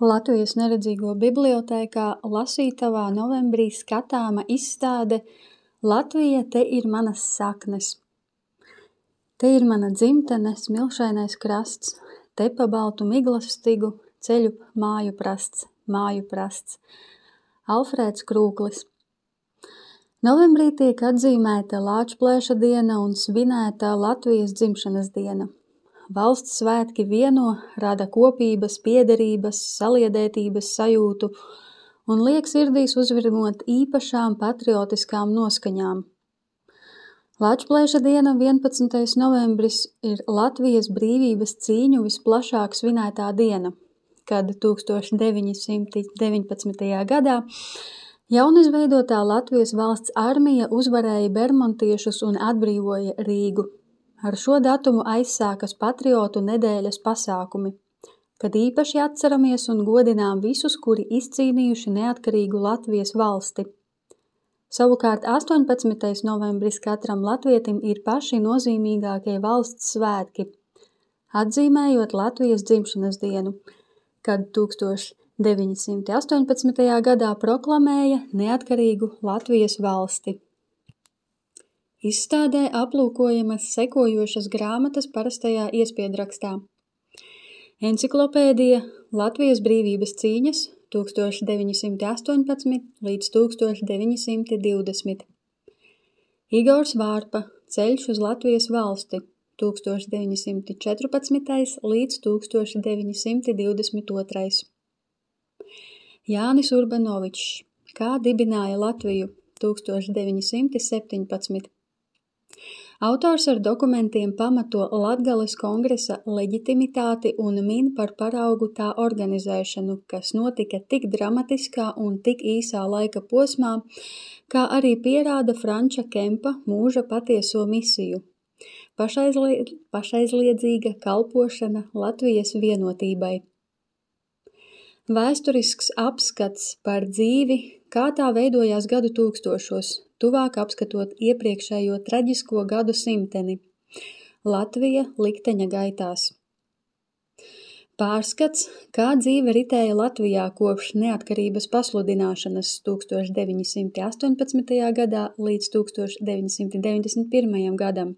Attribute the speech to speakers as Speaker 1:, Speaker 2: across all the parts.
Speaker 1: Latvijas neredzīgo bibliotēkā lasītavā novembrī skatāma izstāde Latvija, te ir manas saknes. Te ir mana dzimtene, smilšainais krasts, te pa baltu miglas stigu ceļu māju prasts. Alfrēds Krūklis. Novembrī tiek atzīmēta Lāčplēša diena un svinēta Latvijas dzimšanas diena. Valsts svētki vieno, rada kopības, piederības, saliedētības sajūtu un liek sirdīs uzvirmot īpašām patriotiskām noskaņām. Lāčplēša diena 11. novembris ir Latvijas brīvības cīņu visplašāk svinētā diena, kad 1919. gadā jaunizveidotā Latvijas valsts armija uzvarēja bermontiešus un atbrīvoja Rīgu. Ar šo datumu aizsākas patriotu nedēļas pasākumi, kad īpaši atceramies un godinām visus, kuri izcīnījuši neatkarīgu Latvijas valsti. Savukārt 18. novembris katram latvietim ir paši nozīmīgākie valsts svētki, atzīmējot Latvijas dzimšanas dienu, kad 1918. gadā proklamēja neatkarīgu Latvijas valsti. Izstādē aplūkojamas sekojošas grāmatas parastajā iespiedrakstā. Enciklopēdija Latvijas brīvības cīņas 1918 līdz 1920. Igors Vārpa Ceļš uz Latvijas valsti 1914 līdz 1922. Jānis Urbanovičs Kā dibināja Latviju 1917. Autors ar dokumentiem pamato Latgales kongresa leģitimitāti un min par paraugu tā organizēšanu, kas notika tik dramatiskā un tik īsā laika posmā, kā arī pierāda Franča Kempa mūža patieso misiju – pašaizliedzīga kalpošana Latvijas vienotībai. Vēsturisks apskats par dzīvi, kā tā veidojās gadu tūkstošos, tuvāk apskatot iepriekšējo traģisko gadu simteni. Latvija likteņa gaitās. Pārskats, kā dzīve ritēja Latvijā kopš neatkarības pasludināšanas 1918. gadā līdz 1991. gadam.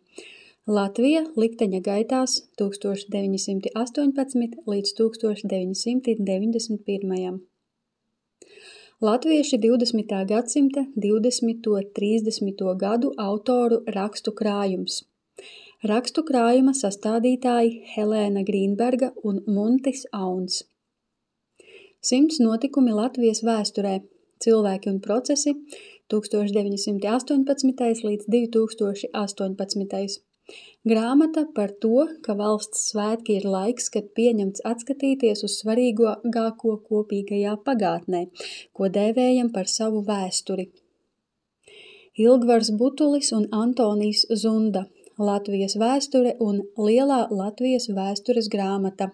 Speaker 1: Latvija likteņa gaitās 1918 līdz 1991. Latvieši 20. gadsimta 20–30. gadu autoru rakstu krājums. Rakstu krājuma sastādītāji Helēna Grīnberga un Muntis Auns. 100 notikumi Latvijas vēsturē, cilvēki un procesi 1918 līdz 2018. Grāmata par to, ka valsts svētki ir laiks, kad pieņemts atskatīties uz svarīgāko kopīgajā pagātnē, ko dēvējam par savu vēsturi. Ilgvars Butulis un Antonijs Zunda, Latvijas vēsture un Lielā Latvijas vēstures grāmata.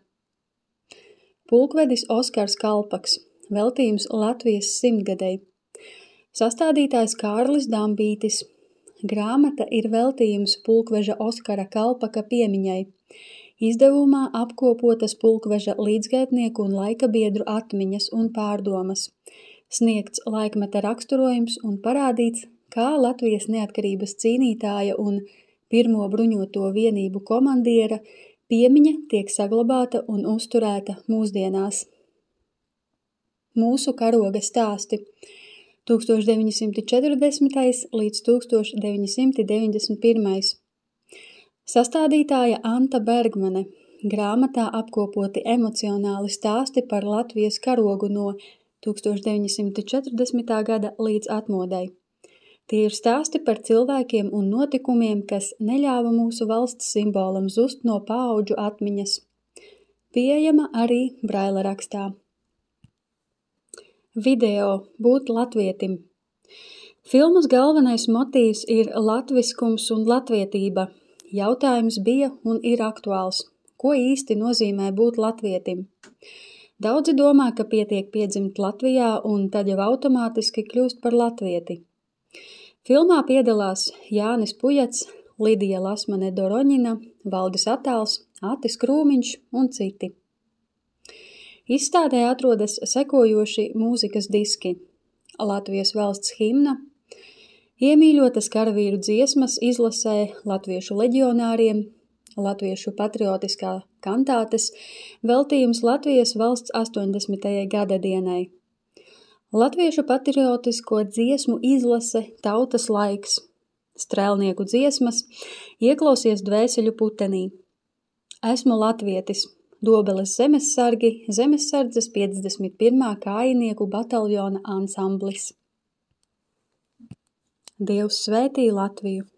Speaker 1: Pulkvedis Oskars Kalpaks, veltījums Latvijas simtgadei. Sastādītājs Kārlis Dambītis. Grāmata ir veltījums pulkveža Oskara Kalpaka piemiņai. Izdevumā apkopotas pulkveža līdzgaitnieku un laikabiedru atmiņas un pārdomas. Sniegts laikmeta raksturojums un parādīts, kā Latvijas neatkarības cīnītāja un pirmo bruņoto vienību komandiera piemiņa tiek saglabāta un uzturēta mūsdienās. Mūsu karoga stāsti 1940. līdz 1991. Sastādītāja Anta Bergmane. Grāmatā apkopoti emocionāli stāsti par Latvijas karogu no 1940. gada līdz atmodei. Tie ir stāsti par cilvēkiem un notikumiem, kas neļāva mūsu valsts simbolam zust no paauģu atmiņas. Pieejama arī Braila rakstā. Video Būt latvietim. Filmas galvenais motīvs ir latviskums un latvietība. Jautājums bija un ir aktuāls. Ko īsti nozīmē būt latvietim? Daudzi domā, ka pietiek piedzimt Latvijā un tad jau automātiski kļūst par latvieti. Filmā piedalās Jānis Pujats, Lidija Lasmane Doroņina, Valdis Atāls, Atis Krūmiņš un citi. Izstādē atrodas sekojoši mūzikas diski: Latvijas valsts himna, iemīļotas karavīru dziesmas izlasē latviešu leģionāriem, latviešu patriotiskā kantātes, veltījums Latvijas valsts 80. gada dienai, latviešu patriotisko dziesmu izlase Tautas laiks, strēlnieku dziesmas, Ieklausies dvēseļu putenī, Esmu latvietis, Dobeles zemessargi, Zemessardzes 51. kājinieku bataljona ansamblis. Dievs svētī Latviju!